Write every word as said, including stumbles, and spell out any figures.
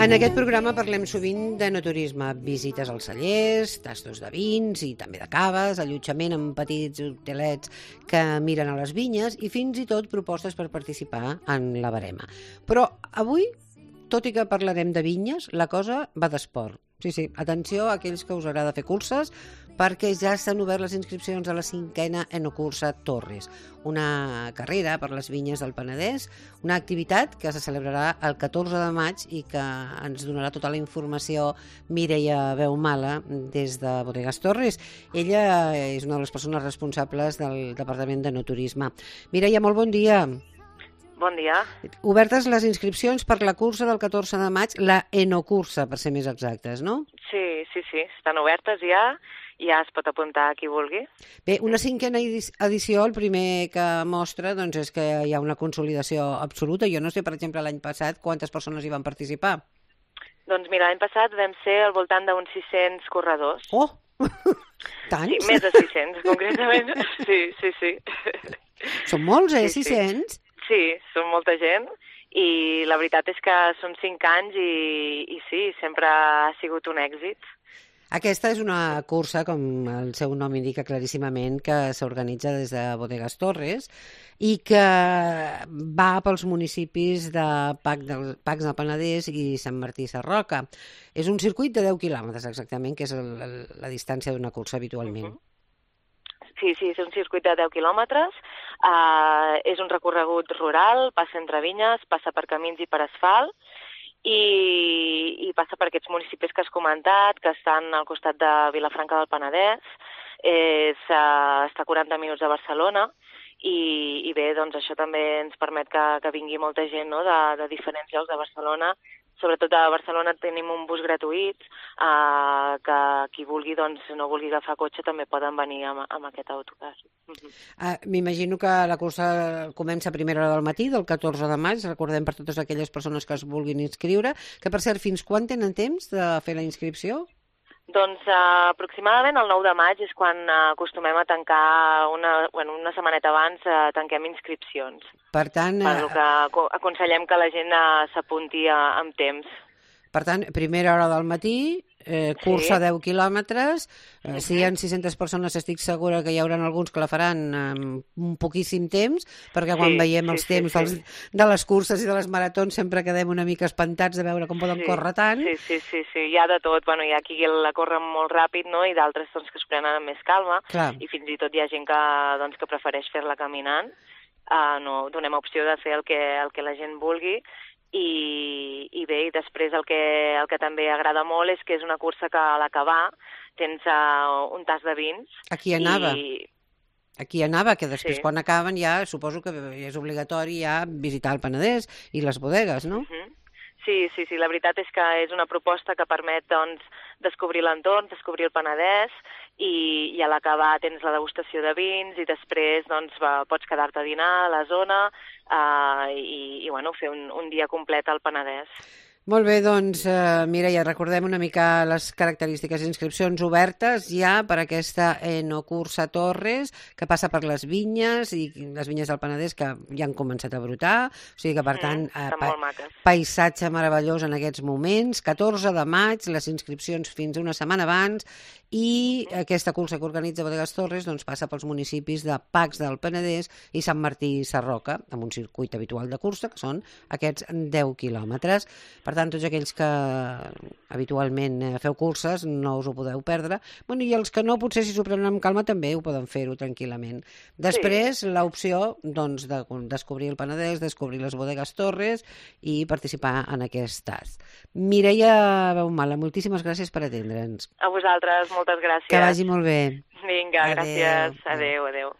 En aquest programa parlem sovint d'enoturisme, visites als cellers, tastos de vins i també de caves, allotjament en petits hotelets que miren a les vinyes i fins i tot propostes per participar en la barema. Però avui, tot i que parlarem de vinyes, la cosa va d'esport. Sí, sí, atenció a aquells que us agrada fer curses, perquè ja s'han obert les inscripcions a la cinquena Enocursa Torres, una carrera per les vinyes del Penedès, una activitat que se celebrarà el catorze de maig i que ens donarà tota la informació Mireia Beumala des de Bodegas Torres. Ella és una de les persones responsables del Departament d'Enoturisme. Mireia, molt bon dia. Bon dia. Obertes les inscripcions per la cursa del catorze de maig, la Enocursa, per ser més exactes, no? Sí, sí, sí, estan obertes ja, ja es pot apuntar qui vulgui. Bé, una cinquena edició, el primer que mostra doncs, és que hi ha una consolidació absoluta. Jo no sé, per exemple, l'any passat quantes persones hi van participar. Doncs mira, l'any passat vam ser al voltant d'uns sis-cents corredors. Oh! Tants? Sí, més de sis-cents, concretament. Sí, sí, sí. Són molts, eh, Sí, sí. sis-cents? Sí, són molta gent i la veritat és que són cinc anys i, i sí, sempre ha sigut un èxit. Aquesta és una cursa, com el seu nom indica claríssimament, que s'organitza des de Bodegas Torres i que va pels municipis de Pacs del, Pacs del Penedès i Sant Martí Sarroca. És un circuit de deu quilòmetres exactament, que és el, el, la distància d'una cursa habitualment. Uh-huh. Sí, sí, és un circuit de deu quilòmetres, uh, és un recorregut rural, passa entre vinyes, passa per camins i per asfalt, i, i passa per aquests municipis que has comentat, que estan al costat de Vilafranca del Penedès, és, uh, està a quaranta minuts de Barcelona, i, i bé, doncs això també ens permet que, que vingui molta gent, no?, de, de diferents llocs de Barcelona. Sobretot a Barcelona tenim un bus gratuït, eh, que qui vulgui, doncs, no vulgui agafar cotxe, també poden venir amb, amb aquest autocar. Uh-huh. Uh, M'imagino que la cursa comença a primera hora del matí, del catorze de maig, recordem per totes aquelles persones que es vulguin inscriure, que per cert, fins quan tenen temps de fer la inscripció? Doncs eh, aproximadament el nou de maig és quan eh, acostumem a tancar, una, bueno, una setmaneta abans eh, tanquem inscripcions. Per tant, Per lo que aconsellem que la gent eh, s'apunti eh, amb temps. Per tant, primera hora del matí, eh, cursa Sí. deu quilòmetres, eh, Uh-huh. si hi ha sis-centes persones estic segura que hi haurà alguns que la faran amb un poquíssim temps, perquè quan Sí, veiem sí, els sí, temps sí. dels, de les curses i de les maratons sempre quedem una mica espantats de veure com poden Sí, córrer tant. Sí, sí, sí, sí, hi ha de tot. Bueno, hi ha qui la corre molt ràpid, no?, i d'altres doncs, que es prenen amb més calma, Clar. i fins i tot hi ha gent que, doncs, que prefereix fer-la caminant. Uh, no, donem opció de fer el que, el que la gent vulgui, i, i bé, i després el que, el que també agrada molt és que és una cursa que a l'acabar tens uh, un tas de vins. Aquí anava. I, Aquí anava, que després Sí. quan acaben ja suposo que és obligatori ja visitar el Penedès i les bodegues, no? Uh-huh. Sí, sí, sí, la veritat és que és una proposta que permet, doncs, descobrir l'entorn, descobrir el Penedès, i, i a l'acabar tens la degustació de vins i després, doncs, va, pots quedar-te a dinar a la zona eh, i, i, bueno, fer un, un dia complet al Penedès. Molt bé, doncs, eh, Mireia, recordem una mica les característiques. Inscripcions obertes ja per aquesta Enocursa Torres, que passa per les vinyes, i les vinyes del Penedès que ja han començat a brotar, o sigui que, per tant, Mm, eh, estan pa molt maques. paisatge meravellós en aquests moments. catorze de maig, les inscripcions fins una setmana abans, i aquesta cursa que organitza Bodegas Torres doncs, passa pels municipis de Pacs del Penedès i Sant Martí Sarroca, amb un circuit habitual de cursa, que són aquests deu quilòmetres. Per tant, tots aquells que habitualment eh, feu curses no us ho podeu perdre. Bueno, i els que no, potser si s'ho prenen amb calma també ho poden fer-ho tranquil·lament. Després, sí. L'opció doncs, de descobrir el Penedès, descobrir les Bodegas Torres i participar en aquest tas. Mireia Beumala, moltíssimes gràcies per atendre'ns. A vosaltres, moltes gràcies. Que vagi molt bé. Vinga, Adéu. gràcies. Adéu, adéu.